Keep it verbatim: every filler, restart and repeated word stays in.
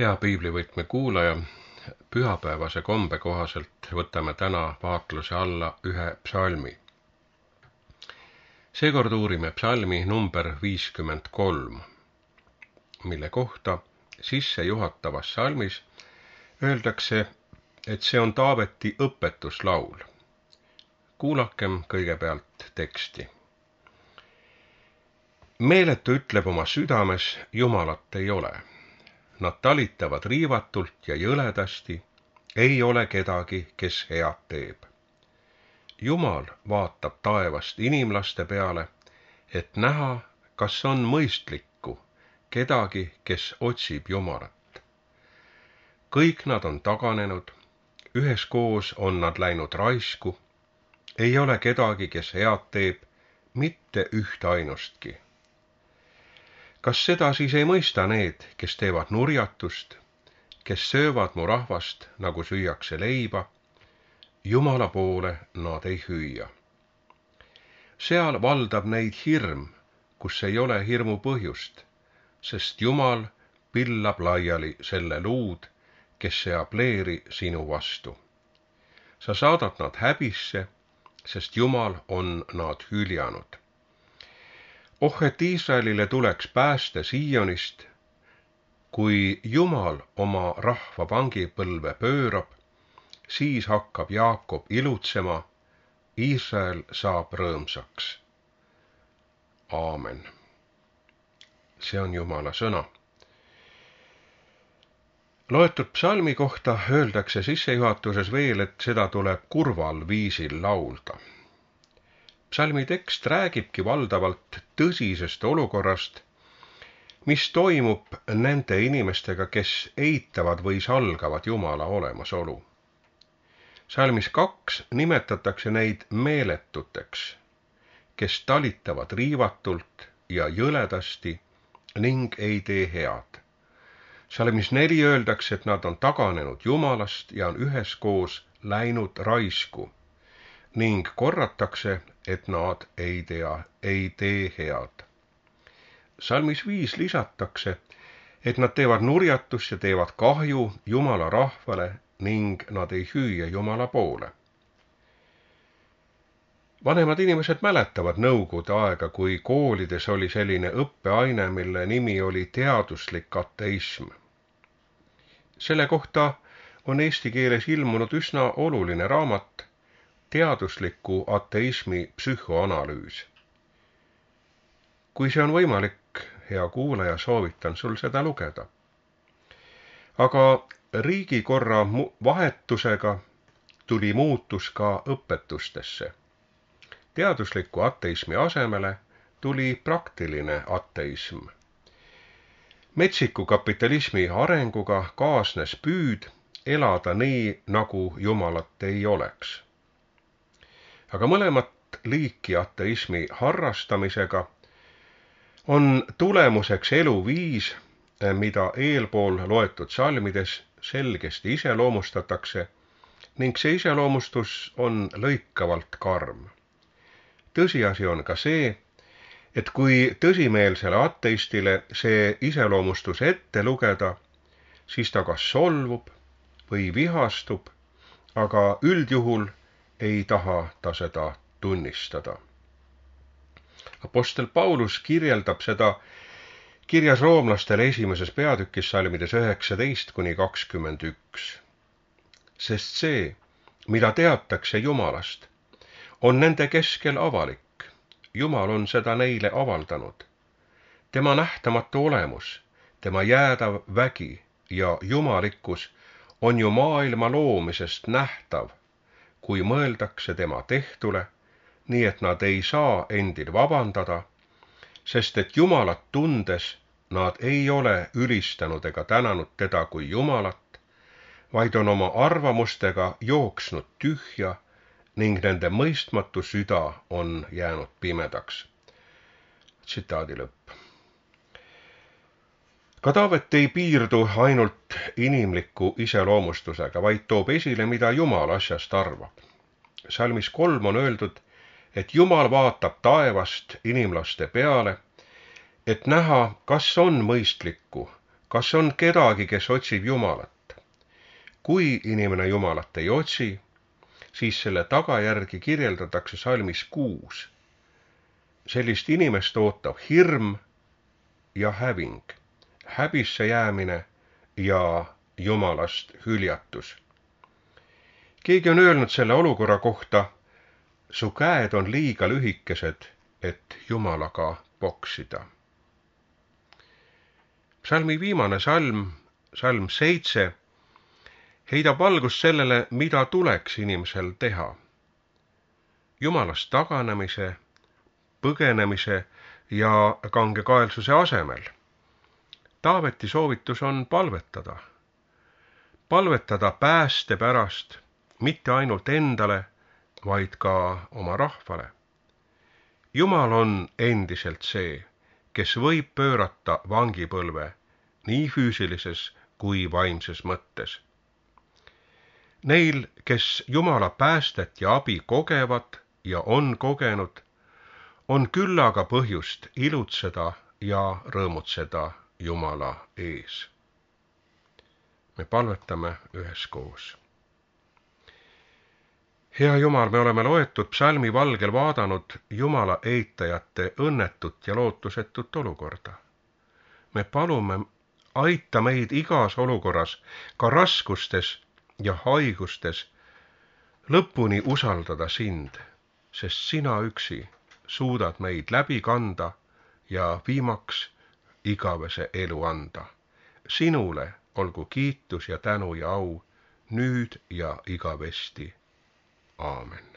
Hea piiblivõtme kuulaja, pühapäevase kombe kohaselt võtame täna vaatluse alla ühe psalmi. Seekord uurime psalmi number viiskümmend kolm, mille kohta sissejuhatavas psalmis öeldakse, et see on Taaveti õpetuslaul. Kuulakem kõigepealt teksti. Meeletu ütleb oma südames, Jumalat ei ole. Nad talitavad riivatult ja jõledasti, ei ole kedagi, kes head teeb. Jumal vaatab taevast inimlaste peale, et näha, kas on mõistlikku kedagi, kes otsib Jumalat. Kõik nad on taganenud, üheskoos on nad läinud raisku, ei ole kedagi, kes head teeb, mitte üht ainustki. Kas seda siis ei mõista need, kes teevad nurjatust, kes söövad mu rahvast, nagu süüakse leiba, Jumala poole nad ei hüüa. Seal valdab neid hirm, kus ei ole hirmu põhjust, sest Jumal pillab laiali selle luud, kes seab leeri sinu vastu. Sa saadad nad häbisse, sest Jumal on nad hüljanud. Oh, et Iisraelile tuleks pääste Siionist, kui Jumal oma rahva vangipõlve pöörab, siis hakkab Jaakob ilutsema, Iisrael saab rõõmsaks. Aamen. See on Jumala sõna. Loetud psalmi kohta öeldakse sissejuhatuses veel, et seda tuleb kurval viisil laulda. Psalmi tekst räägibki valdavalt tõsisest olukorrast, mis toimub nende inimestega, kes eitavad või salgavad Jumala olemasolu. Psalmis kaks nimetatakse neid meeletuteks, kes talitavad riivatult ja jõledasti ning ei tee head. Psalmis neli öeldakse, et nad on taganenud Jumalast ja on üheskoos läinud raisku, ning korratakse, et nad ei tea, ei tee head. Psalmis viis lisatakse, et nad teevad nurjatust ja teevad kahju Jumala rahvale ning nad ei hüüa Jumala poole. Vanemad inimesed mäletavad nõukogude aega, kui koolides oli selline õppeaine, mille nimi oli teaduslik ateism. Selle kohta on eesti keeles ilmunud üsna oluline raamat Teadusliku ateismi psühhoanalüüs. Kui see on võimalik, hea kuulaja, soovitan sul seda lugeda. Aga riigikorra vahetusega tuli muutus ka õpetustesse. Teadusliku ateismi asemele tuli praktiline ateism. Metsiku kapitalismi arenguga kaasnes püüd elada nii, nagu Jumalat ei oleks. Aga mõlemat liiki ateismi harrastamisega on tulemuseks eluviis, mida eelpool loetud psalmides selgesti iseloomustatakse, ning see iseloomustus on lõikavalt karm. Tõsiasi on ka see, et kui tõsimeelsele ateistile see iseloomustus ette lugeda, siis ta kas solvub või vihastub, aga üldjuhul ei taha ta seda tunnistada. Apostel Paulus kirjeldab seda kirjas roomlastele esimeses peatükis psalmides üheksateist kuni kakskümmend üks. Sest see, mida teatakse Jumalast, on nende keskel avalik. Jumal on seda neile avaldanud. Tema nähtamatu olemus, tema jäädav vägi ja jumalikkus on ju maailma loomisest nähtav, kui mõeldakse tema tehtule, nii et nad ei saa endil vabandada, sest et Jumalat tundes nad ei ole ülistanud ega tänanud teda kui Jumalat, vaid on oma arvamustega jooksnud tühja ning nende mõistmatu süda on jäänud pimedaks. Tsitaadi lõpp. Ka Taavet ei piirdu ainult inimliku iseloomustusega, vaid toob esile, mida Jumal asjast arvab. Psalmis kolm on öeldud, et Jumal vaatab taevast inimlaste peale, et näha, kas on mõistlikku Kas on kedagi, kes otsib Jumalat? Kui inimene Jumalat ei otsi, siis selle tagajärgi kirjeldatakse salmis kuus. Sellist inimest ootab hirm ja häving, häbisse jäämine ja Jumalast hüljatus. Keegi on öelnud selle olukorra kohta, su käed on liiga lühikesed, et Jumalaga poksida. Psalmi viimane salm, salm seitse, heidab valgust sellele, mida tuleks inimesel teha. Jumalast taganemise, põgenemise ja kangekaelsuse asemel. Taaveti soovitus on palvetada. Palvetada pääste pärast, mitte ainult endale, vaid ka oma rahvale. Jumal on endiselt see, kes võib pöörata vangipõlve nii füüsilises kui vaimses mõttes. Neil, kes Jumala päästet ja abi kogevad ja on kogenud, on küllaga põhjust ilutseda ja rõõmutseda Jumala ees. Me palvetame üheskoos. Hea Jumal, me oleme loetud psalmi valgel vaadanud Jumala eitajate õnnetut ja lootusetut olukorda. Me palume, aita meid igas olukorras, ka raskustes ja haigustes, lõpuni usaldada sind, sest sina üksi suudad meid läbi kanda ja viimaks igavese elu anda. Sinule olgu kiitus ja tänu ja au nüüd ja igavesti. Aamen.